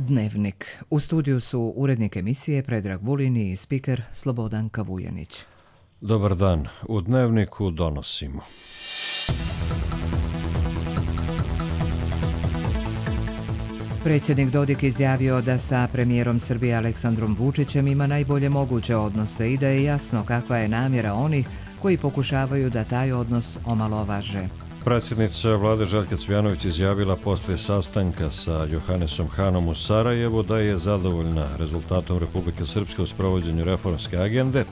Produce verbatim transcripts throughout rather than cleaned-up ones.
Dnevnik. U studiju su urednik emisije Predrag Vulin i spiker Slobodan Kavujanić. Dobar dan. U Dnevniku donosimo. Predsjednik Dodik izjavio da sa premijerom Srbije Aleksandrom Vučićem ima najbolje moguće odnose i da je jasno kakva je namjera onih koji pokušavaju da taj odnos omalovaže. Predsjednica vlade Željka Cvijanović izjavila poslije sastanka sa Johannesom Hanom u Sarajevu da je zadovoljna rezultatom Republike Srpske u sprovođenju reformske agende,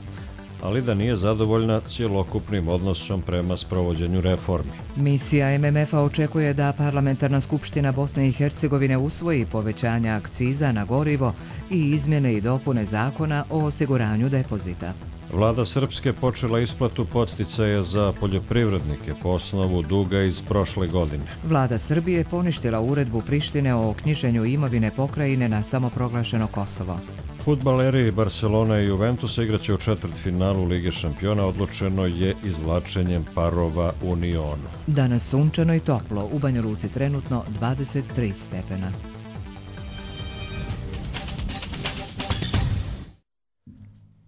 ali da nije zadovoljna cjelokupnim odnosom prema sprovođenju reformi. Misija M M F-a očekuje da Parlamentarna skupština Bosne i Hercegovine usvoji povećanja akciza na gorivo i izmjene i dopune zakona o osiguranju depozita. Vlada Srpske počela isplatu podsticaja za poljoprivrednike po osnovu duga iz prošle godine. Vlada Srbije poništila uredbu Prištine o knjiženju imovine pokrajine na samoproglašeno Kosovo. Fudbaleri Barcelona i Juventusa igraće u četvrtfinalu Lige šampiona, odlučeno je izvlačenjem parova u Nionu. Danas sunčano i toplo, u Banja Luci trenutno dvadeset tri stepena.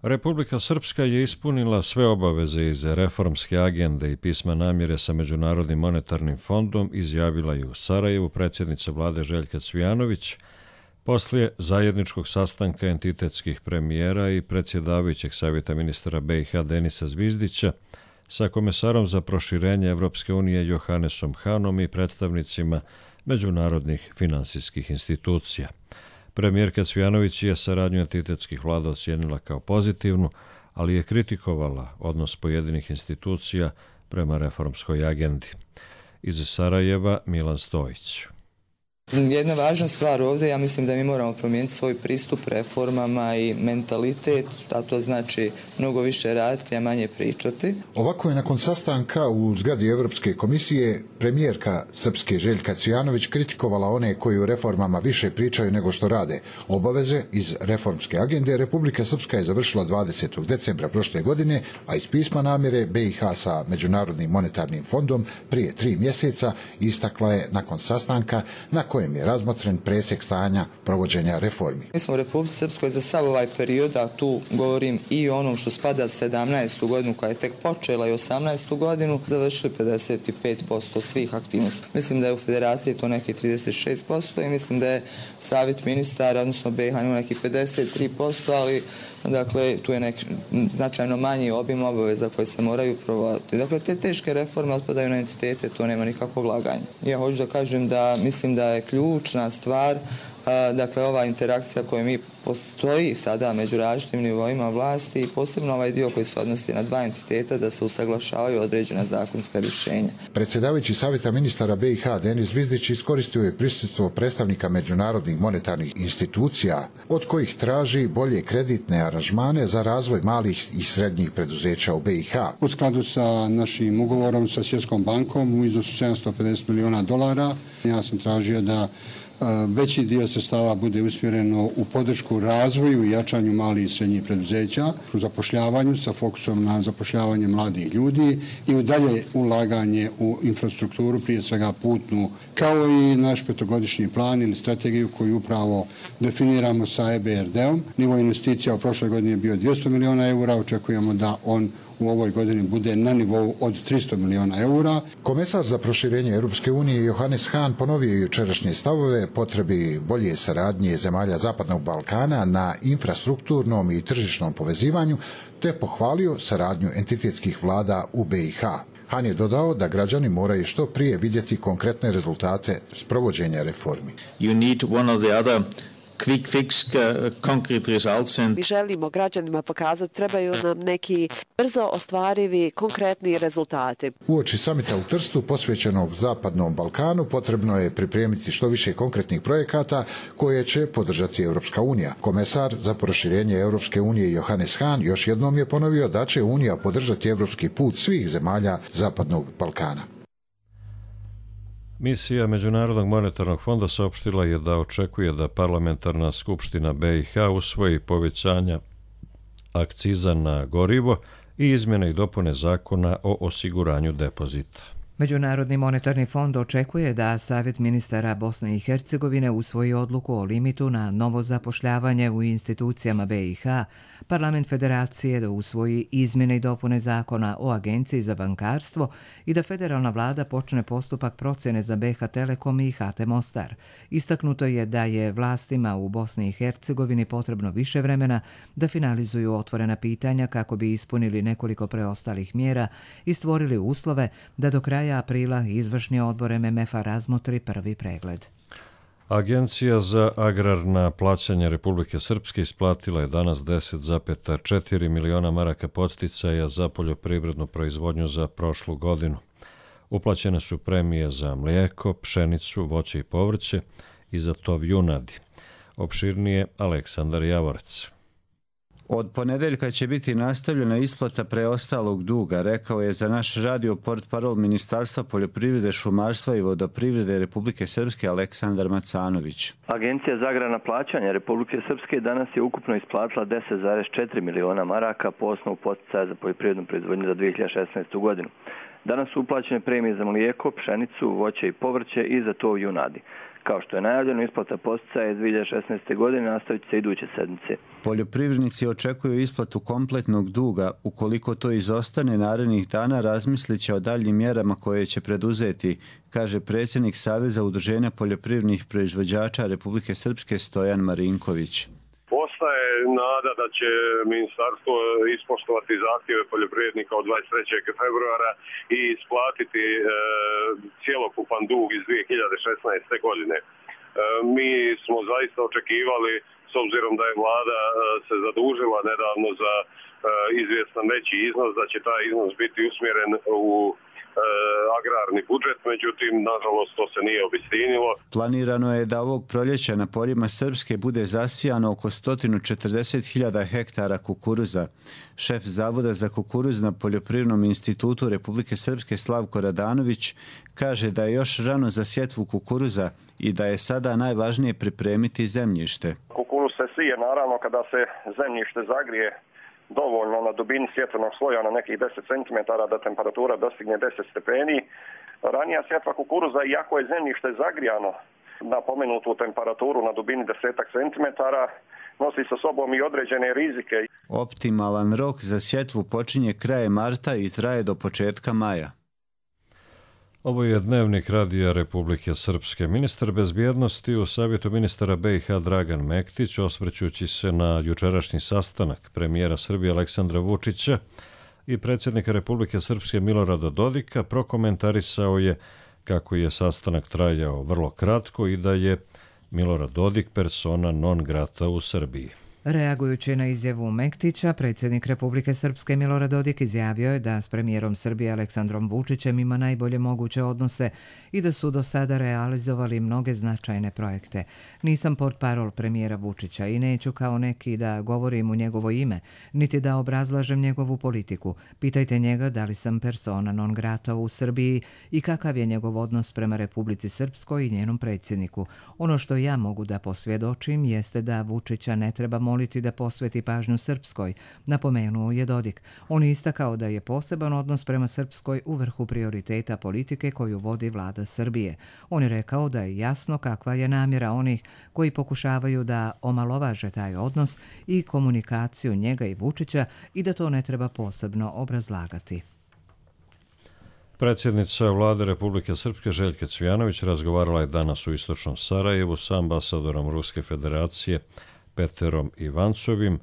Republika Srpska je ispunila sve obaveze iz reformske agende i pisma namjere sa Međunarodnim monetarnim fondom, izjavila je u Sarajevu predsjednica vlade Željka Cvijanović poslije zajedničkog sastanka entitetskih premijera i predsjedavajućeg savjeta ministara B i H Denisa Zvizdića sa komesarom za proširenje Evropske unije Johannesom Hanom i predstavnicima međunarodnih finansijskih institucija. Premijerka Cvijanović je saradnju entitetskih vlada ocijenila kao pozitivnu, ali je kritikovala odnos pojedinih institucija prema reformskoj agendi. Iz Sarajeva Milan Stojić. Jedna važna stvar ovdje, ja mislim da mi moramo promijeniti svoj pristup reformama i mentalitet, a to znači mnogo više raditi, a manje pričati. Ovako je nakon sastanka u zgradi Europske komisije premijerka Srpske Željka Cvijanović kritikovala one koji u reformama više pričaju nego što rade. Obaveze iz reformske agende Republika Srpska je završila dvadesetog decembra prošle godine, a iz pisma namjere B i H sa Međunarodnim monetarnim fondom prije tri mjeseca istakla je nakon sastanka na kojem je razmotren presjek stanja provođenja reformi. Mi smo u Republici Srpskoj za sav ovaj period, a tu govorim i o onom što spada sedamnaestu godinu koja je tek počela i osamnaestu godinu, završili pedeset pet posto svih aktivnosti. Mislim da je u federaciji to neki trideset šest posto i mislim da je savjet ministara, odnosno B i H neki pedeset tri posto, ali dakle, tu je neki značajno manji obim obaveza koji se moraju provoditi. Dakle, te teške reforme otpadaju na entitete, to nema nikakvog laganja. Ja hoću da kažem da mislim da je ključna stvar, dakle, ova interakcija koja mi postoji sada među različitim nivoima vlasti i posebno ovaj dio koji se odnosi na dva entiteta da se usaglašavaju određena zakonska rješenja. Predsjedavajući savjeta ministara B i H Denis Zvizdić iskoristio je prisustvo predstavnika međunarodnih monetarnih institucija, od kojih traži bolje kreditne aranžmane za razvoj malih i srednjih preduzeća u B i H. U skladu sa našim ugovorom sa Svjetskom bankom u iznosu sedamsto pedeset milijuna dolara, ja sam tražio da veći dio sredstava bude usmjereno u podršku razvoju i jačanju malih i srednjih preduzeća, u zapošljavanju sa fokusom na zapošljavanje mladih ljudi i u dalje ulaganje u infrastrukturu, prije svega putnu, kao i naš petogodišnji plan ili strategiju koju upravo definiramo sa E B R D-om. Nivo investicija u prošloj godini je bio dvjesto milijuna eura, očekujemo da on u ovoj godini bude na nivou od tristo milijuna eura. Komesar za proširenje Europske unije Johannes Hahn ponovio jučerašnje stavove potrebi bolje saradnje zemalja Zapadnog Balkana na infrastrukturnom i tržišnom povezivanju, te pohvalio saradnju entitetskih vlada u B i H. Hahn je dodao da građani moraju što prije vidjeti konkretne rezultate sprovođenja reformi. You need one or the other quick fix, uh, concrete results. And... Mi želimo građanima pokazati, trebaju nam neki brzo ostvarivi, konkretni rezultati. Uoči samita u Trstu posvećenog Zapadnom Balkanu potrebno je pripremiti što više konkretnih projekata koje će podržati Europska unija. Komesar za proširenje Europske unije Johannes Hahn još jednom je ponovio da će Unija podržati europski put svih zemalja Zapadnog Balkana. Misija Međunarodnog monetarnog fonda saopštila je da očekuje da Parlamentarna skupština B i H usvoji povećanja akciza na gorivo i izmjene i dopune zakona o osiguranju depozita. Međunarodni monetarni fond očekuje da Savjet ministara Bosne i Hercegovine usvoji odluku o limitu na novo zapošljavanje u institucijama B i H, Parlament Federacije da usvoji izmjene i dopune zakona o Agenciji za bankarstvo i da federalna vlada počne postupak procjene za B H Telekom i H T Mostar. Istaknuto je da je vlastima u Bosni i Hercegovini potrebno više vremena da finalizuju otvorena pitanja kako bi ispunili nekoliko preostalih mjera i stvorili uslove da do kraja aprila izvršni odbor M M F-a razmotri prvi pregled. Agencija za agrarna plaćanja Republike Srpske isplatila je danas deset zarez četiri miliona maraka podsticaja za poljoprivrednu proizvodnju za prošlu godinu. Uplaćene su premije za mlijeko, pšenicu, voće i povrće i za tov junadi. Opširnije Aleksandar Javorac. Od ponedeljka će biti nastavljena isplata preostalog duga, rekao je za naš radio portparol Ministarstva poljoprivrede, šumarstva i vodoprivrede Republike Srpske Aleksandar Macanović. Agencija za agrarna plaćanja Republike Srpske danas je ukupno isplatila deset zarez četiri miliona maraka po osnovu podsticaja za poljoprivrednu proizvodnju za dvije hiljade šesnaestu. godinu. Danas su uplaćene premije za mlijeko, pšenicu, voće i povrće i za tov junadi. Kao što je najavljeno, isplata podsticaja iz dvije hiljade šesnaeste. godine nastavit će se iduće sedmice. Poljoprivrednici očekuju isplatu kompletnog duga. Ukoliko to izostane narednih dana, razmislit će o daljnjim mjerama koje će preduzeti, kaže predsjednik Saveza udruženja poljoprivrednih proizvođača Republike Srpske Stojan Marinković. Ostaje nada da će ministarstvo ispoštovati zahtjeve poljoprivrednika od dvadeset trećeg februara i isplatiti e, cjelokupan dug iz dvije hiljade šesnaeste. godine. E, mi smo zaista očekivali, s obzirom da je vlada e, se zadužila nedavno za e, izvjestan veći iznos, da će taj iznos biti usmjeren u agrarni budžet, međutim, nažalost, to se nije obistinilo. Planirano je da ovog proljeća na poljima Srpske bude zasijano oko sto četrdeset hiljada hektara kukuruza. Šef Zavoda za kukuruz na Poljoprivrednom institutu Republike Srpske Slavko Radanović kaže da je još rano za sjetvu kukuruza i da je sada najvažnije pripremiti zemljište. Kukuruz se sije naravno kada se zemljište zagrije dovoljno na dubini sjetvenog sloja na nekih deset centimetara da temperatura dostigne deset stepeni. Ranija sjetva kukuruza, iako je zemljište zagrijano na pomenutu temperaturu na dubini deset centimetara, nosi sa sobom i određene rizike. Optimalan rok za sjetvu počinje krajem marta i traje do početka maja. Ovo je dnevnik Radija Republike Srpske. Ministar bezbjednosti u Savjetu ministara B i H Dragan Mektić, osvrćući se na jučerašnji sastanak premijera Srbije Aleksandra Vučića i predsjednika Republike Srpske Milorada Dodika, prokomentarisao je kako je sastanak trajao vrlo kratko i da je Milorad Dodik persona non grata u Srbiji. Reagujući na izjavu Mektića, predsjednik Republike Srpske Milorad Dodik izjavio je da s premijerom Srbije Aleksandrom Vučićem ima najbolje moguće odnose i da su do sada realizovali mnoge značajne projekte. Nisam portparol premijera Vučića i neću kao neki da govorim u njegovo ime, niti da obrazlažem njegovu politiku. Pitajte njega da li sam persona non grata u Srbiji i kakav je njegov odnos prema Republici Srpskoj i njenom predsjedniku. Ono što ja mogu da posvjedočim jeste da Vučića ne treba moliti da posveti pažnju Srpskoj, napomenuo je Dodik. On je istakao da je poseban odnos prema Srpskoj u vrhu prioriteta politike koju vodi vlada Srbije. On je rekao da je jasno kakva je namjera onih koji pokušavaju da omalovaže taj odnos i komunikaciju njega i Vučića i da to ne treba posebno obrazlagati. Predsjednica vlade Republike Srpske Željka Cvijanović razgovarala je danas u istočnom Sarajevu sa ambasadorom Ruske federacije Peterom Ivancovim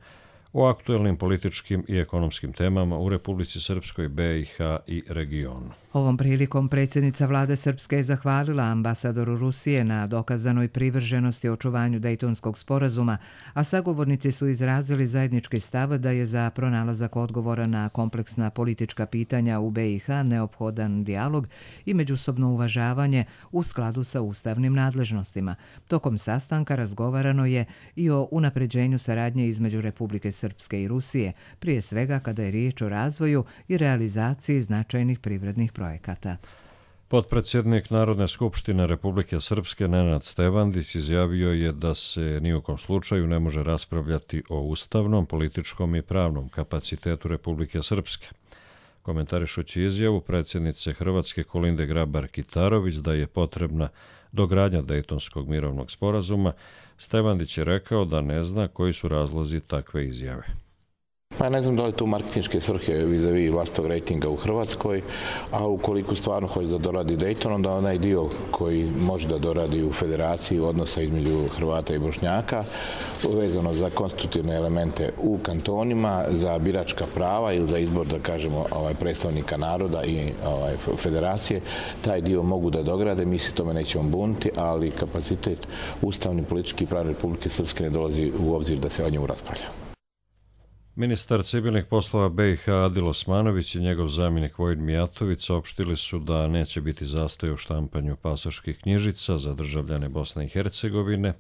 o aktuelnim političkim i ekonomskim temama u Republici Srpskoj, B i H i regionu. Ovom prilikom predsjednica vlade Srpske je zahvalila ambasadoru Rusije na dokazanoj privrženosti očuvanju Dejtonskog sporazuma, a sagovornici su izrazili zajednički stav da je za pronalazak odgovora na kompleksna politička pitanja u B i H neophodan dijalog i međusobno uvažavanje u skladu sa ustavnim nadležnostima. Tokom sastanka razgovarano je i o unapređenju saradnje između Republike Srpske i Rusije, prije svega kada je riječ o razvoju i realizaciji značajnih privrednih projekata. Potpredsjednik Narodne skupštine Republike Srpske Nenad Stevandić izjavio je da se ni u kom slučaju ne može raspravljati o ustavnom, političkom i pravnom kapacitetu Republike Srpske. Komentarišući izjavu predsjednice Hrvatske Kolinde Grabar-Kitarović da je potrebna dogradnja Dejtonskog mirovnog sporazuma, Stevandić je rekao da ne zna koji su razlozi takve izjave. Pa ne znam da li tu marketinške svrhe vis-a-vis vlastitog rejtinga u Hrvatskoj, a ukoliko stvarno hoće da doradi Dejton, onda onaj dio koji može da doradi u federaciji odnosa između Hrvata i Bošnjaka, vezano za konstitutivne elemente u kantonima, za biračka prava ili za izbor, da kažemo, ovaj, predstavnika naroda i ovaj, federacije, taj dio mogu da dograde, mi se tome nećemo buniti, ali kapacitet ustavni, politički i pravni Republike Srpske ne dolazi u obzir da se o njemu raspravlja. Ministar civilnih poslova be i ha Adil Osmanović i njegov zamjenik Vojin Mijatović saopštili su da neće biti zastoja u štampanju pasoških knjižica za državljane Bosne i Hercegovine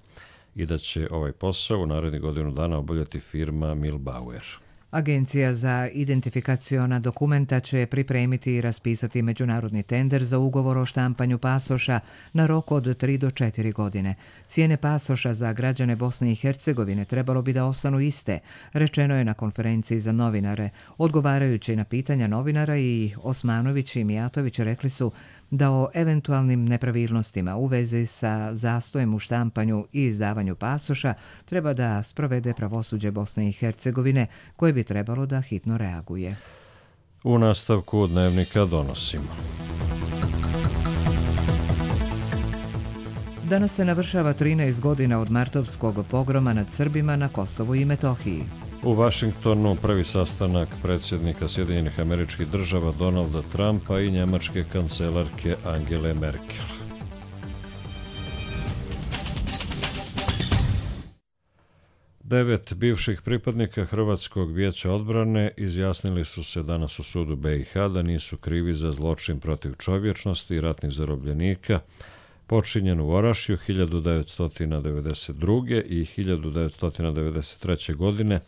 i da će ovaj posao u narednih godinu dana obavljati firma Milbauer. Agencija za identifikaciona dokumenta će pripremiti i raspisati međunarodni tender za ugovor o štampanju pasoša na rok od tri do četiri godine. Cijene pasoša za građane Bosne i Hercegovine trebalo bi da ostanu iste, rečeno je na konferenciji za novinare. Odgovarajući na pitanja novinara, i Osmanović i Mijatović rekli su da o eventualnim nepravilnostima u vezi sa zastojem u štampanju i izdavanju pasoša treba da sprovede pravosuđe Bosne i Hercegovine, koje bi trebalo da hitno reaguje. U nastavku dnevnika donosimo. Danas se navršava trinaest godina od martovskog pogroma nad Srbima na Kosovu i Metohiji. U Vašingtonu prvi sastanak predsjednika Sjedinjenih Američkih Država Donalda Trumpa i njemačke kancelarke Angele Merkel. Devet bivših pripadnika Hrvatskog vijeća odbrane izjasnili su se danas u sudu be i ha da nisu krivi za zločin protiv čovječnosti i ratnih zarobljenika počinjen u Orašju hiljadu devetsto devedeset druge. i hiljadu devetsto devedeset treće. godine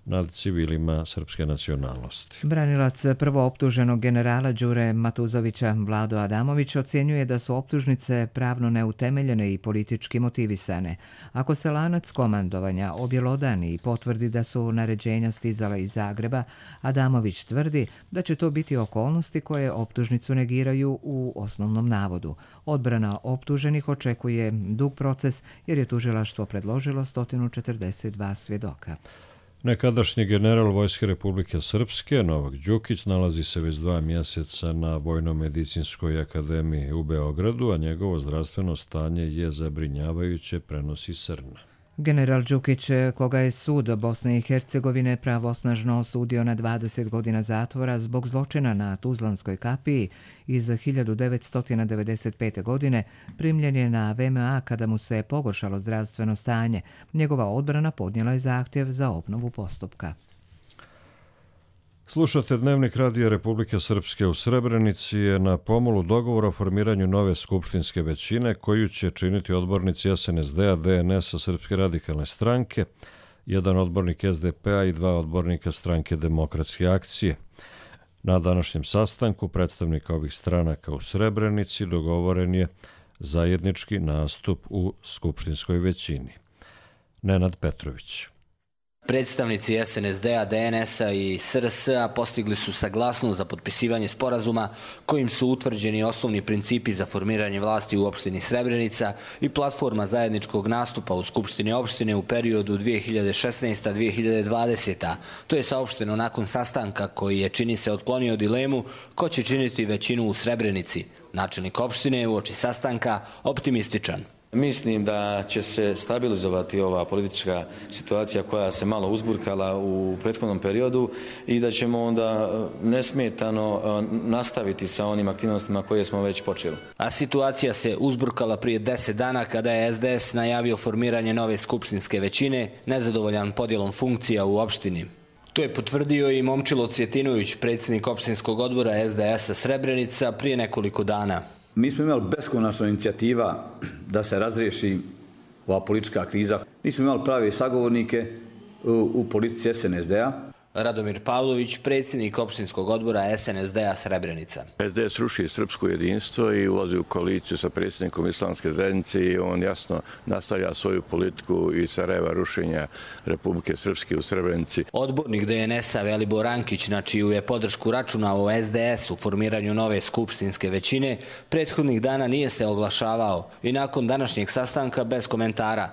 nad civilima srpske nacionalnosti. Branilac prvooptuženog generala Đure Matuzovića, Vlado Adamović, ocjenjuje da su optužnice pravno neutemeljene i politički motivisane. Ako se lanac komandovanja objelodani i potvrdi da su naređenja stizala iz Zagreba, Adamović tvrdi da će to biti okolnosti koje optužnicu negiraju u osnovnom navodu. Odbrana optuženih očekuje dug proces jer je tužilaštvo predložilo sto četrdeset dva svjedoka. Nekadašnji general Vojske Republike Srpske, Novak Đukić, nalazi se već dva mjeseca na Vojno-medicinskoj akademiji u Beogradu, a njegovo zdravstveno stanje je zabrinjavajuće, prenosi Srna. General Đukić, koga je sud Bosne i Hercegovine pravosnažno osudio na dvadeset godina zatvora zbog zločina na Tuzlanskoj kapiji iz hiljadu devetsto devedeset pete. godine, primljen je na ve em a kada mu se pogoršalo zdravstveno stanje. Njegova odbrana podnijela je zahtjev za obnovu postupka. Slušate Dnevnik Radija Republike Srpske. U Srebrenici je na pomolu dogovor o formiranju nove skupštinske većine koju će činiti odbornici es en es de a, de en es a, Srpske radikalne stranke, jedan odbornik es de pe a i dva odbornika stranke Demokratske akcije. Na današnjem sastanku predstavnika ovih stranaka u Srebrenici dogovoren je zajednički nastup u skupštinskoj većini. Nenad Petrović. Predstavnici es en es de a, de en es a i es er es a postigli su saglasnost za potpisivanje sporazuma kojim su utvrđeni osnovni principi za formiranje vlasti u opštini Srebrenica i platforma zajedničkog nastupa u Skupštini opštine u periodu dvije hiljade šesnaesta do dvije hiljade dvadesete. To je saopšteno nakon sastanka koji je, čini se, otklonio dilemu ko će činiti većinu u Srebrenici. Načelnik opštine je uoči sastanka optimističan. Mislim da će se stabilizovati ova politička situacija koja se malo uzburkala u prethodnom periodu i da ćemo onda nesmetano nastaviti sa onim aktivnostima koje smo već počeli. A situacija se uzburkala prije deset dana kada je es de es najavio formiranje nove skupštinske većine, nezadovoljan podjelom funkcija u opštini. To je potvrdio i Momčilo Cvjetinović, predsjednik opštinskog odbora es de es a Srebrenica, prije nekoliko dana. Mi smo imali beskonačna inicijativa da se razriješi ova politička kriza. Nismo imali prave sagovornike u, u politici es en es de a. Radomir Pavlović, predsjednik opštinskog odbora S N S D-a Srebrenica. S D S ruši srpsko jedinstvo i ulazi u koaliciju sa predsjednikom Islamske zajednice i on jasno nastavlja svoju politiku i Sarajeva rušenja Republike Srpske u Srebrenici. Odbornik D N S-a Velibor Ankić, na čiju je podršku računao S D S u formiranju nove skupštinske većine, prethodnih dana nije se oglašavao i nakon današnjeg sastanka bez komentara.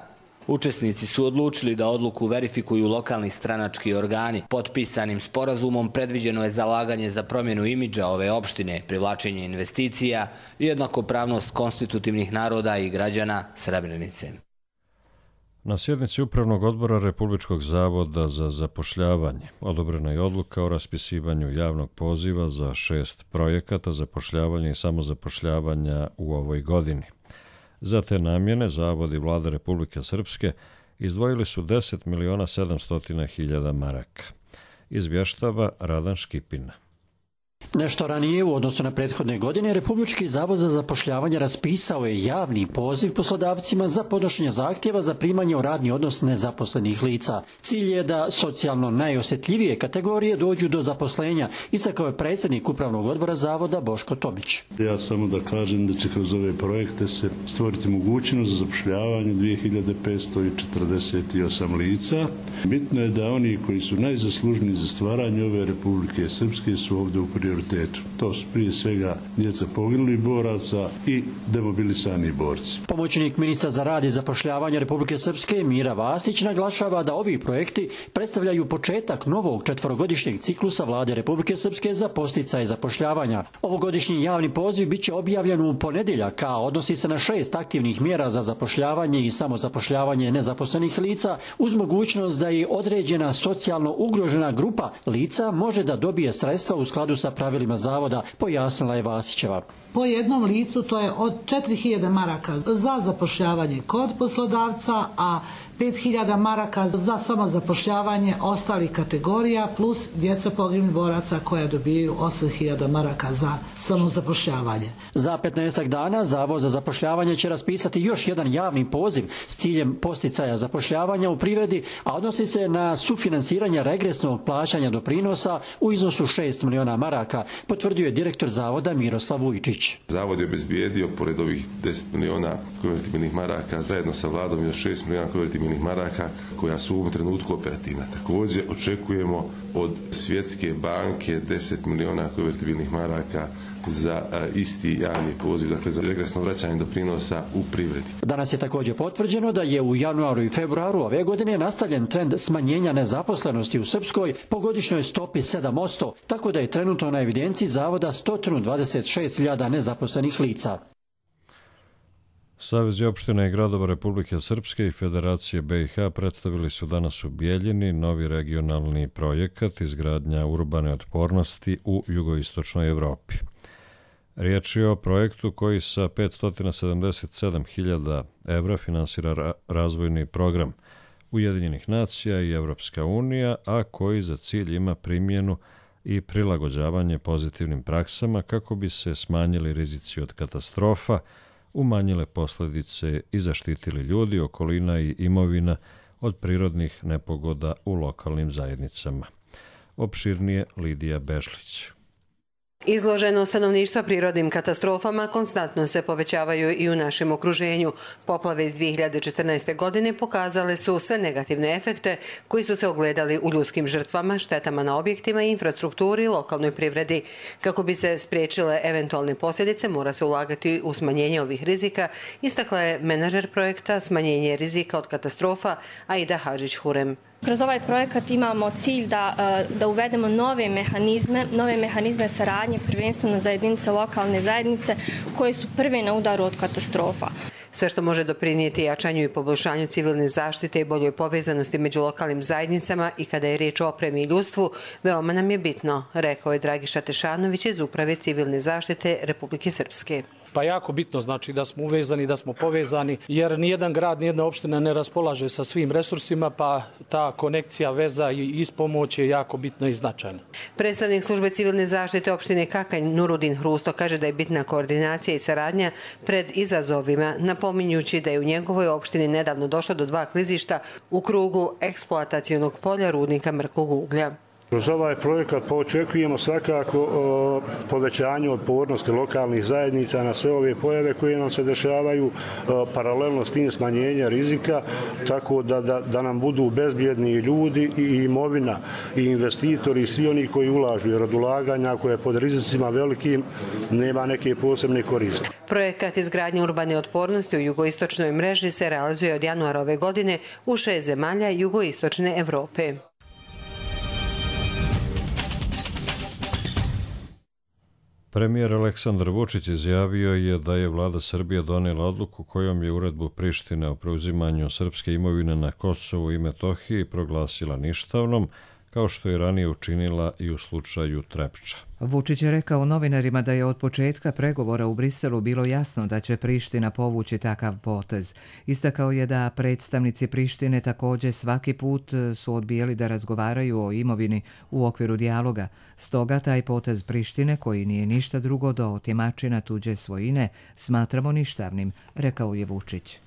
Učesnici su odlučili da odluku verifikuju lokalni stranački organi. Potpisanim sporazumom predviđeno je zalaganje za promjenu imidža ove opštine, privlačenje investicija i jednakopravnost konstitutivnih naroda i građana Srebrenice. Na sjednici Upravnog odbora Republičkog zavoda za zapošljavanje odobrena je odluka o raspisivanju javnog poziva za šest projekata zapošljavanja i samozapošljavanja u ovoj godini. Za te namjene Zavod i Vlada Republike Srpske izdvojili su deset miliona sedamsto hiljada maraka. Izvještava Radan Škipina. Nešto ranije, u odnosu na prethodne godine, Republički zavod za zapošljavanje raspisao je javni poziv poslodavcima za podnošenje zahtjeva za primanje u radni odnos nezaposlenih lica. Cilj je da socijalno najosjetljivije kategorije dođu do zaposlenja, istakao je predsjednik Upravnog odbora Zavoda Boško Tomić. Ja samo da kažem da će kroz ove projekte se stvoriti mogućnost za zapošljavanje dvije hiljade petsto četrdeset osam lica. Bitno je da oni koji su najzaslužniji za stvaranje ove Republike Srpske su ovdje u prioritetu. To su prije svega djeca poginulih boraca i demobilisani borci. Pomoćnik ministra za rad i zapošljavanje Republike Srpske Mira Vasić naglašava da ovi projekti predstavljaju početak novog četvorogodišnjeg ciklusa Vlade Republike Srpske za podsticaj zapošljavanja. Ovogodišnji javni poziv biće objavljen u ponedjeljak, a odnosi se na šest aktivnih mjera za zapošljavanje i samozapošljavanje nezaposlenih lica uz mogućnost da i određena socijalno ugrožena grupa lica može da dobije sredstva u skladu sa pravilima zavoda, pojasnila je Vasićeva. Po jednom licu to je od četiri hiljade maraka za zapošljavanje kod poslodavca, a pet hiljada maraka za samozapošljavanje ostalih kategorija plus djeca poginulih boraca koja dobijaju osam hiljada maraka za samozapošljavanje. Za petnaestak dana Zavod za zapošljavanje će raspisati još jedan javni poziv s ciljem podsticaja zapošljavanja u privredi, a odnosi se na sufinansiranje regresnog plaćanja doprinosa u iznosu šest miliona maraka, potvrdio je direktor Zavoda Miroslav Vujčić. Zavod je obezbijedio, pored ovih deset miliona konvertibilnih maraka, zajedno sa vladom još šest miliona konvertibilnih maraka koja su u ovom trenutku operativna. Također očekujemo od Svjetske banke deset miliona konvertibilnih maraka za isti javni poziv, dakle za regresno vraćanje doprinosa u privredi. Danas je također potvrđeno da je u januaru i februaru ove godine nastavljen trend smanjenja nezaposlenosti u Srpskoj po godišnjoj stopi sedam posto, tako da je trenutno na evidenciji Zavoda sto dvadeset šest hiljada nezaposlenih lica. Savezi opština i gradova Republike Srpske i Federacije B i H predstavili su danas u Bijeljini novi regionalni projekat izgradnja urbane otpornosti u jugoistočnoj Evropi. Riječ je o projektu koji sa petsto sedamdeset sedam hiljada evra finansira razvojni program Ujedinjenih nacija i Evropska unija, a koji za cilj ima primjenu i prilagođavanje pozitivnim praksama kako bi se smanjili rizici od katastrofa, umanjile posljedice i zaštitili ljudi, okolina i imovina od prirodnih nepogoda u lokalnim zajednicama. Opširnije Lidija Bešlić. Izloženost stanovništva prirodnim katastrofama konstantno se povećavaju i u našem okruženju. Poplave iz dvije hiljade četrnaeste. godine pokazale su sve negativne efekte koji su se ogledali u ljudskim žrtvama, štetama na objektima i infrastrukturi i lokalnoj privredi. Kako bi se spriječile eventualne posljedice, mora se ulagati u smanjenje ovih rizika, istakla je menadžer projekta Smanjenje rizika od katastrofa Aida Hadžić-Hurem. Kroz ovaj projekat imamo cilj da, da uvedemo nove mehanizme, nove mehanizme saradnje, prvenstveno za jedinice lokalne zajednice koje su prve na udaru od katastrofa. Sve što može doprinijeti jačanju i poboljšanju civilne zaštite i boljoj povezanosti među lokalnim zajednicama i kada je riječ o opremi i ljudstvu, veoma nam je bitno, rekao je Dragiša Tešanović iz Uprave civilne zaštite Republike Srpske. Pa jako bitno znači da smo uvezani, da smo povezani, jer nijedan grad, nijedna opština ne raspolaže sa svim resursima, pa ta konekcija, veza i ispomoć je jako bitna i značajna. Predstavnik službe civilne zaštite opštine Kakanj Nurudin Hrusto kaže da je bitna koordinacija i saradnja pred izazovima, napominjući da je u njegovoj opštini nedavno došlo do dva klizišta u krugu eksploatacionog polja rudnika mrkog uglja. Kroz ovaj projekat očekujemo svakako o, povećanje otpornosti lokalnih zajednica na sve ove pojave koje nam se dešavaju, o, paralelno s tim smanjenja rizika, tako da, da, da nam budu bezbjedni ljudi i imovina i investitori i svi oni koji ulažu, jer od ulaganja koje je pod rizicima velikim nema neke posebne koristi. Projekat izgradnje urbane otpornosti u jugoistočnoj mreži se realizuje od januara ove godine u šest zemalja jugoistočne Evrope. Premijer Aleksandar Vučić izjavio je da je vlada Srbije donijela odluku kojom je uredbu Prištine o preuzimanju srpske imovine na Kosovu i Metohiji proglasila ništavnom, kao što je ranije učinila i u slučaju Trepča. Vučić je rekao novinarima da je od početka pregovora u Briselu bilo jasno da će Priština povući takav potez. Istakao je da predstavnici Prištine također svaki put su odbijali da razgovaraju o imovini u okviru dijaloga. Stoga taj potez Prištine, koji nije ništa drugo do otimačina tuđe svojine, smatramo ništavnim, rekao je Vučić.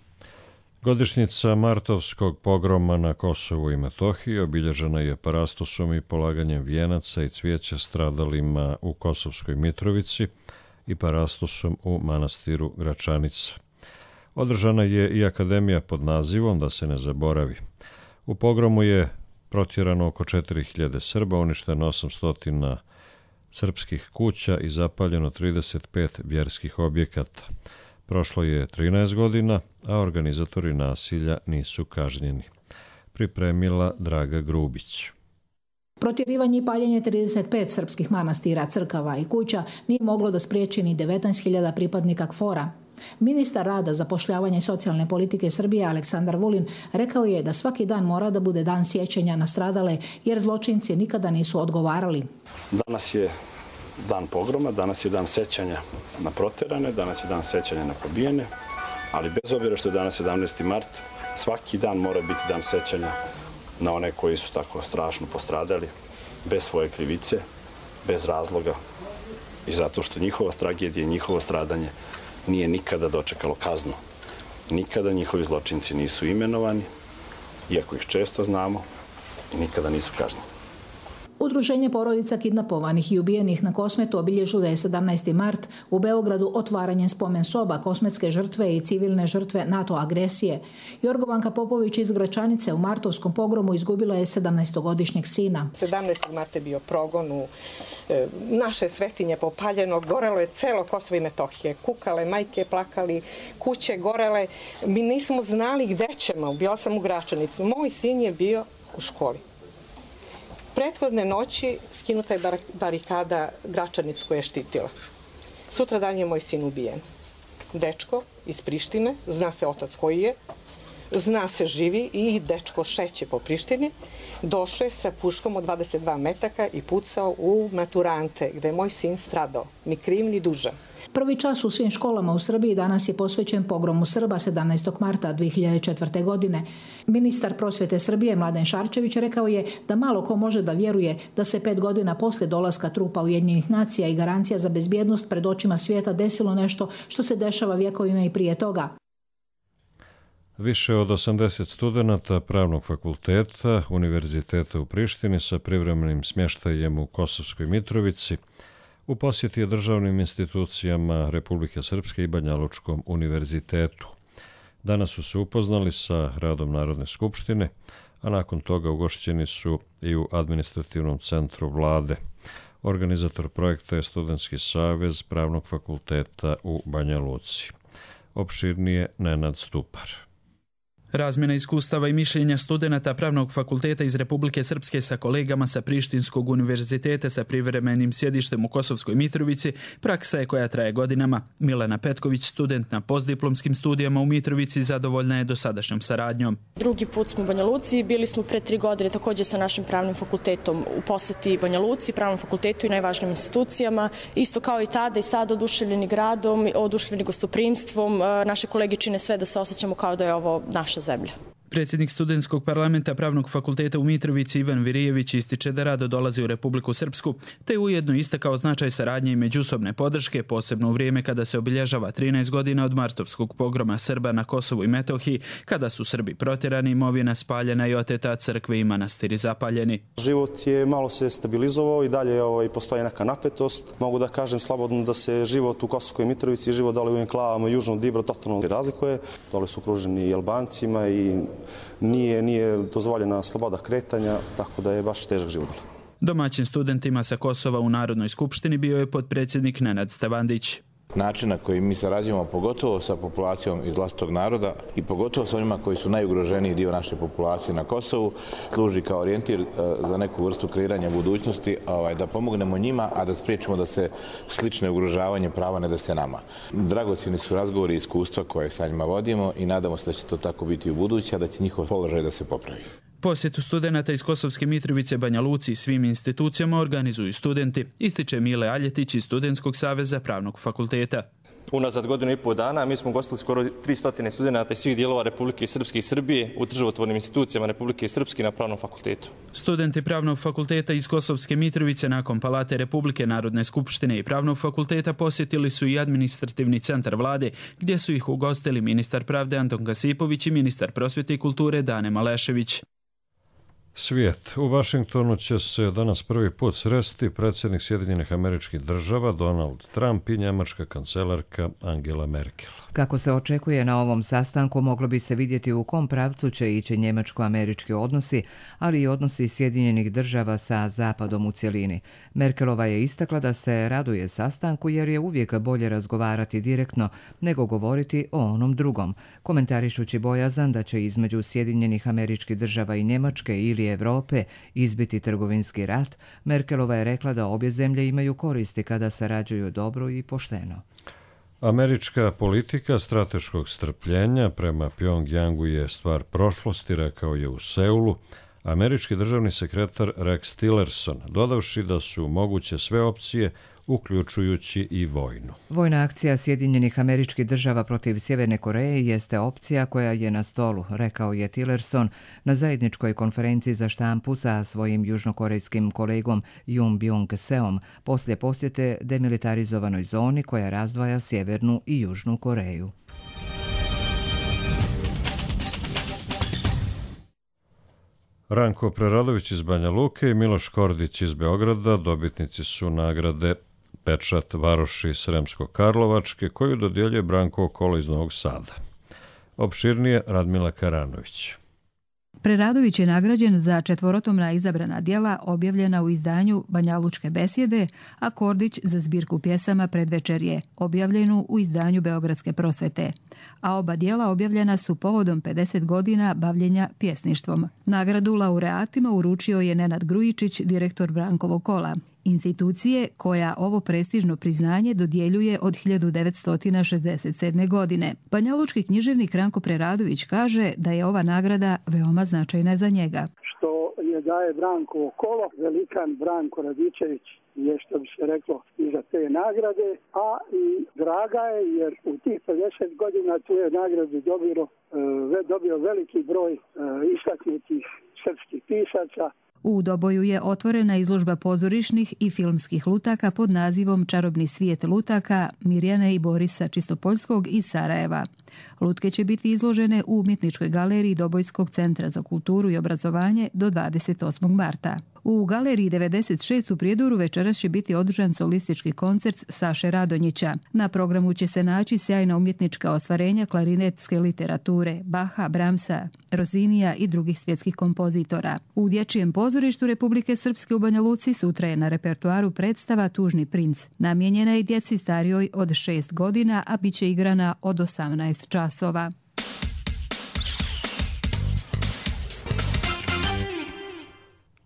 Godišnjica martovskog pogroma na Kosovu i Metohiji obilježena je parastosom i polaganjem vijenaca i cvijeća stradalima u Kosovskoj Mitrovici i parastosom u manastiru Gračanica. Održana je i akademija pod nazivom Da se ne zaboravi. U pogromu je protjerano oko četiri hiljade Srba, uništeno osamsto srpskih kuća i zapaljeno trideset pet vjerskih objekata. Prošlo je trinaest godina, a organizatori nasilja nisu kažnjeni. Pripremila Draga Grubić. Protjerivanje i paljenje trideset pet srpskih manastira, crkava i kuća nije moglo da spriječi ni devetnaest hiljada pripadnika KFOR-a. Ministar rada, zapošljavanja i socijalne politike Srbije Aleksandar Vulin rekao je da svaki dan mora da bude dan sjećanja na stradale, jer zločinci nikada nisu odgovarali. Danas je dan pogroma, danas je dan sećanja na proterane, danas je dan sećanja na pobijene, ali bez obzira što je danas sedamnaesti mart, svaki dan mora biti dan sećanja na one koji su tako strašno postradali, bez svoje krivice, bez razloga i zato što njihova tragedija i njihovo stradanje nije nikada dočekalo kaznu. Nikada njihovi zločinci nisu imenovani, iako ih često znamo, i nikada nisu kažnjeni. Udruženje porodica kidnapovanih i ubijenih na Kosmetu obilježilo je sedamnaesti mart u Beogradu otvaranjem spomen soba kosmetske žrtve i civilne žrtve NATO agresije. Jorgovanka Popović iz Gračanice u martovskom pogromu izgubila je sedamnaestogodišnjeg sina. sedamnaestog marta je bio progon u e, naše svetinje popaljeno, gorelo je celo Kosovo i Metohije. Kukale, majke plakali, kuće gorele. Mi nismo znali gde ćemo. Bila sam u Gračanicu. Moj sin je bio u školi. Prethodne noći skinuta je barikada Gračanicu koja je štitila. Sutra dan je moj sin ubijen. Dečko iz Prištine, zna se otac koji je, zna se živi i dečko šeće po Prištini, došao je sa puškom od dvadeset dva metaka i pucao u maturante gde je moj sin stradao, ni kriv ni dužan. Prvi čas u svim školama u Srbiji danas je posvećen pogromu Srba sedamnaestog marta dve hiljade četvrte. godine. Ministar prosvete Srbije Mladen Šarčević rekao je da malo ko može da vjeruje da se pet godina posle dolaska trupa Ujedinjenih nacija i garancija za bezbjednost pred očima svijeta desilo nešto što se dešava vjekovima i prije toga. Više od osamdeset studenata Pravnog fakulteta Univerziteta u Prištini sa privremenim smještajem u Kosovskoj Mitrovici u posjeti je državnim institucijama Republike Srpske i Banjalučkom univerzitetu. Danas su se upoznali sa radom Narodne skupštine, a nakon toga ugošćeni su i u administrativnom centru vlade. Organizator projekta je Studentski savez Pravnog fakulteta u Banja Luci. Opširnije Nenad Stupar. Razmjena iskustava i mišljenja studenata Pravnog fakulteta iz Republike Srpske sa kolegama sa Prištinskog univerziteta sa privremenim sjedištem u Kosovskoj Mitrovici praksa je koja traje godinama. Milena Petković, student na postdiplomskim studijama u Mitrovici, zadovoljna je dosadašnjom saradnjom. Drugi put smo u Banja Luci, bili smo pre tri godine također sa našim pravnim fakultetom u posjeti Banja Luci, Pravnom fakultetu i najvažnijim institucijama. Isto kao i tada i sad oduševljeni gradom, oduševljeni gostoprimstvom. Naše kolege čine sve da se osjećamo kao da je ovo naša zemlja. Predsjednik studentskog parlamenta Pravnog fakulteta u Mitrovici Ivan Virijević ističe da rado dolazi u Republiku Srpsku, te ujedno istakao značaj saradnje i međusobne podrške, posebno u vrijeme kada se obilježava trinaest godina od martovskog pogroma Srba na Kosovu i Metohiji, kada su Srbi protjerani, imovina spaljena i oteta, crkve i manastiri zapaljeni. Život je malo se stabilizovao i dalje ovaj, postoji neka napetost. Mogu da kažem slobodno da se život u Kosovskoj Mitrovici i život dole u enklavama južnog Dibra totalno razlikuje. Dole su okruženi i Albancima i nije, nije dozvoljena sloboda kretanja, tako da je baš težak život. Domaćin studentima sa Kosova u Narodnoj skupštini bio je potpredsjednik Nenad Stavandić. Način na koji mi sarađujemo pogotovo sa populacijom iz vlastitog naroda i pogotovo sa onima koji su najugroženiji dio naše populacije na Kosovu služi kao orijentir za neku vrstu kreiranja budućnosti, da pomognemo njima, a da spriječimo da se slične ugrožavanje prava ne dese nama. Dragocjeni su razgovori i iskustva koje sa njima vodimo i nadamo se da će to tako biti u buduće, a da će njihov položaj da se popravi. Posjetu studenata iz Kosovske Mitrovice, Banja Luci i svim institucijama organizuju studenti, ističe Mile Aljetić iz Studentskog saveza Pravnog fakulteta. Unazad godinu i pol dana mi smo gostili skoro tristo studenata iz svih dijelova Republike Srpske i Srbije u državotvornim institucijama Republike Srpske na Pravnom fakultetu. Studenti Pravnog fakulteta iz Kosovske Mitrovice nakon Palate Republike, Narodne skupštine i Pravnog fakulteta posjetili su i administrativni centar vlade, gdje su ih ugostili ministar pravde Anton Kasipović i ministar prosvjete i kulture Dane Malešević. Svijet. U Vašingtonu će se danas prvi put sresti predsjednik Sjedinjenih Američkih Država Donald Trump i njemačka kancelarka Angela Merkel. Kako se očekuje na ovom sastanku, moglo bi se vidjeti u kom pravcu će ići njemačko-američki odnosi, ali i odnosi Sjedinjenih Država sa Zapadom u cjelini. Merkelova je istakla da se raduje sastanku jer je uvijek bolje razgovarati direktno nego govoriti o onom drugom, komentarišući bojazan da će između Sjedinjenih Američkih Država i Njemačke ili Europe izbiti trgovinski rat. Merkelova je rekla da obje zemlje imaju koristi kada sarađuju dobro i pošteno. Američka politika strateškog strpljenja prema Pjongjangu je stvar prošlosti, rekao je u Seulu američki državni sekretar Rex Tillerson, dodavši da su moguće sve opcije, uključujući i vojnu. Vojna akcija Sjedinjenih Američkih Država protiv Sjeverne Koreje jeste opcija koja je na stolu, rekao je Tillerson na zajedničkoj konferenciji za štampu sa svojim južnokorejskim kolegom Jun Byung-seom poslije posjete demilitarizovanoj zoni koja razdvaja Sjevernu i Južnu Koreju. Ranko Preradović iz Banja Luke i Miloš Kordić iz Beograda dobitnici su nagrade Pečat varoši Sremsko-Karlovačke koju dodjeljuje Branko Kolo iz Novog Sada. Opširnije Radmila Karanović. Preradović je nagrađen za četvorotomna izabrana djela objavljena u izdanju Banjalučke besjede, a Kordić za zbirku pjesama Predvečerje, objavljenu u izdanju Beogradske prosvete. A oba djela objavljena su povodom pedeset godina bavljenja pjesništvom. Nagradu laureatima uručio je Nenad Grujičić, direktor Brankovog kola, institucije koja ovo prestižno priznanje dodjeljuje od hiljadu devetsto šezdeset sedme. godine. Banjalučki književnik Ranko Preradović kaže da je ova nagrada veoma značajna za njega. Što je daje Brankovo kolo, velikan Branko Radičević je, što bi se reklo, iza te nagrade, a i draga je jer u tih pedeset godina tu je nagradu dobio, dobio veliki broj istaknutih srpskih pisaca. U Doboju je otvorena izložba pozorišnih i filmskih lutaka pod nazivom Čarobni svijet lutaka Mirjane i Borisa Čistopoljskog iz Sarajeva. Lutke će biti izložene u Umjetničkoj galeriji Dobojskog centra za kulturu i obrazovanje do dvadeset osmog marta. U galeriji devedeset šest u Prijedoru večeras će biti održan solistički koncert Saše Radonjića. Na programu će se naći sjajna umjetnička ostvarenja klarinetske literature, Baha, Bramsa, Rozinija i drugih svjetskih kompozitora. U Dječjem pozorištu Republike Srpske u Banja Luci sutra je na repertoaru predstava Tužni princ. Namijenjena je djeci starijoj od šest godina, a bit će igrana od osamnaest časova.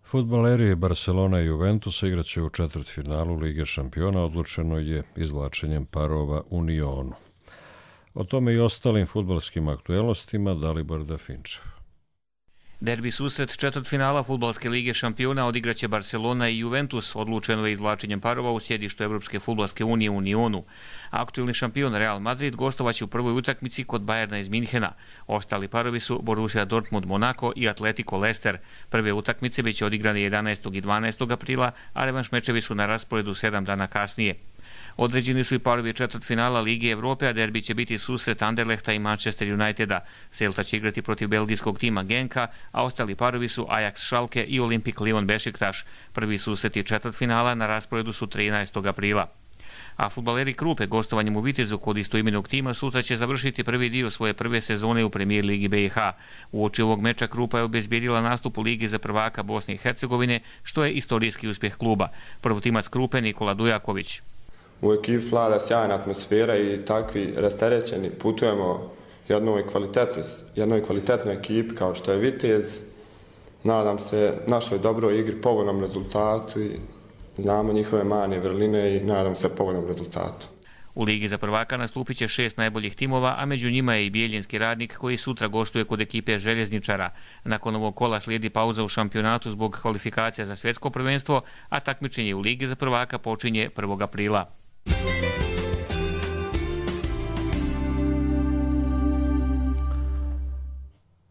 Fudbaleri Barcelona i Juventusa igraće u četvrtfinalu Lige šampiona, odlučeno je izvlačenjem parova u Nionu. O tome i ostalim fudbalskim aktuelnostima Dalibor Dafinčev. Derbi susret četvrtfinala Fudbalske lige šampiona odigraće Barcelona i Juventus, odlučeno je izvlačenjem parova u sjedištu Evropske fudbalske unije u Unionu. Aktuelni šampion Real Madrid gostovaće u prvoj utakmici kod Bayerna iz Minhena. Ostali parovi su Borussia Dortmund Monaco i Atletico Leicester. Prve utakmice biće odigrane jedanaestog i dvanaestog aprila, a revanš mečevi su na rasporedu sedam dana kasnije. Određeni su i parovi četvrtfinala Lige Evrope, a derbi će biti susret Anderlehta i Manchester Uniteda. Celta će igrati protiv belgijskog tima Genka, a ostali parovi su Ajax Schalke i Olimpik Lyon Bešiktaš. Prvi susreti četvrtfinala na rasporedu su trinaestog aprila. A fudbaleri Krupe gostovanjem u Vitezu kod istoimenog tima sutra će završiti prvi dio svoje prve sezone u Premijer Ligi B i H. Uoči ovog meča Krupa je obezbijedila nastup u Ligi za prvaka Bosne i Hercegovine, što je istorijski uspjeh kluba. Prvotimac Krupe Nikola Dujaković. U ekipi vlada sjajna atmosfera i takvi rasterećeni putujemo jednoj kvalitetnoj, jednoj kvalitetnoj ekipi kao što je Vitez. Nadam se našoj dobroj igri, povoljnom rezultatu i znamo njihove mane vrline i nadam se povoljnom rezultatu. U Ligi za prvaka nastupit će šest najboljih timova, a među njima je i Bijeljinski Radnik koji sutra gostuje kod ekipe Željezničara. Nakon ovog kola slijedi pauza u šampionatu zbog kvalifikacija za svjetsko prvenstvo, a takmičenje u Ligi za prvaka počinje prvog aprila.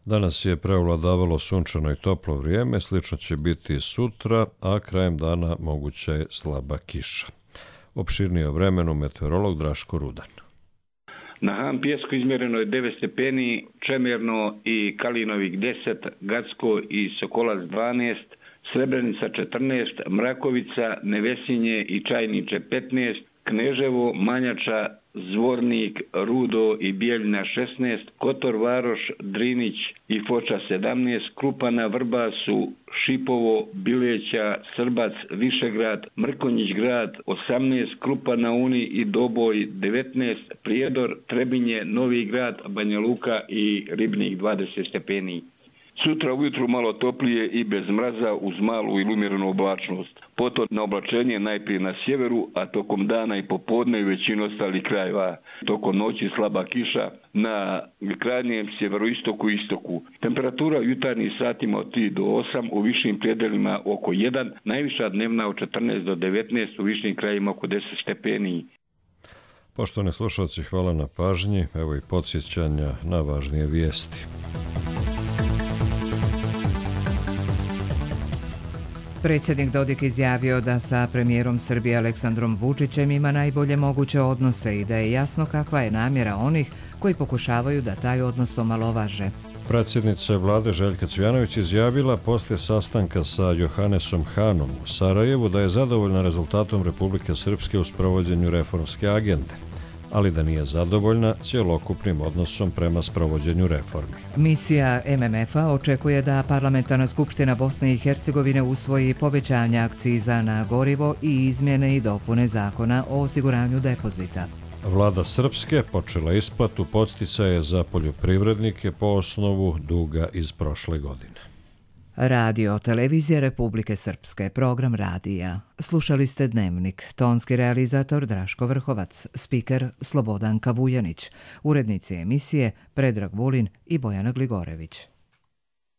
Danas je preovladavalo sunčano i toplo vrijeme, slično će biti sutra, a krajem dana moguća je slaba kiša. Opširnije o vremenu meteorolog Draško Rudan. Na Han Pijesku izmjereno je devet stepeni, Čemerno i Kalinovik deset, Gacko i Sokolac dvanaest, Srebrenica četrnaest, Mrakovica, Nevesinje i Čajniče petnaest, Kneževo, Manjača, Zvornik, Rudo i Bijeljina šesnaest, Kotor Varoš, Drinić i Foča sedamnaest, Krupana, Vrbasu, Šipovo, Bileća, Srbac, Višegrad, Mrkonjić grad osamnaest, Krupana, Uni i Doboj devetnaest, Prijedor, Trebinje, Novi grad, Banja Luka i Ribnik dvadeset stepeni. Sutra ujutru malo toplije i bez mraza uz malu ili umjerenu oblačnost. Potom na oblačenje najprije na sjeveru, a tokom dana i popodne u većini ostalih krajeva. Tokom noći slaba kiša na krajnjem sjeveroistoku i istoku. Temperatura u jutarnjim satima od tri do osam, u višim predelima oko jedan, najviša dnevna od četrnaest do devetnaest, u višim krajima oko deset stepeni. Poštovani slušalci, hvala na pažnji. Evo i podsjećanja na važnije vijesti. Predsjednik Dodik izjavio da sa premijerom Srbije Aleksandrom Vučićem ima najbolje moguće odnose i da je jasno kakva je namjera onih koji pokušavaju da taj odnos omalovaže. Predsjednica vlade Željka Cvjanović izjavila poslije sastanka sa Johanesom Hanom u Sarajevu da je zadovoljna rezultatom Republike Srpske u sprovođenju reformske agende, ali da nije zadovoljna cjelokupnim odnosom prema sprovođenju reformi. Misija M M F-a očekuje da Parlamentarna skupština Bosne i Hercegovine usvoji povećanje akciza na gorivo i izmjene i dopune zakona o osiguranju depozita. Vlada Srpske počela isplatu podsticaje za poljoprivrednike po osnovu duga iz prošle godine. Radio Televizija Republike Srpske, program radija. Slušali ste Dnevnik, tonski realizator Draško Vrhovac, spiker Slobodanka Vujanić, urednici emisije Predrag Vulin i Bojana Gligorević.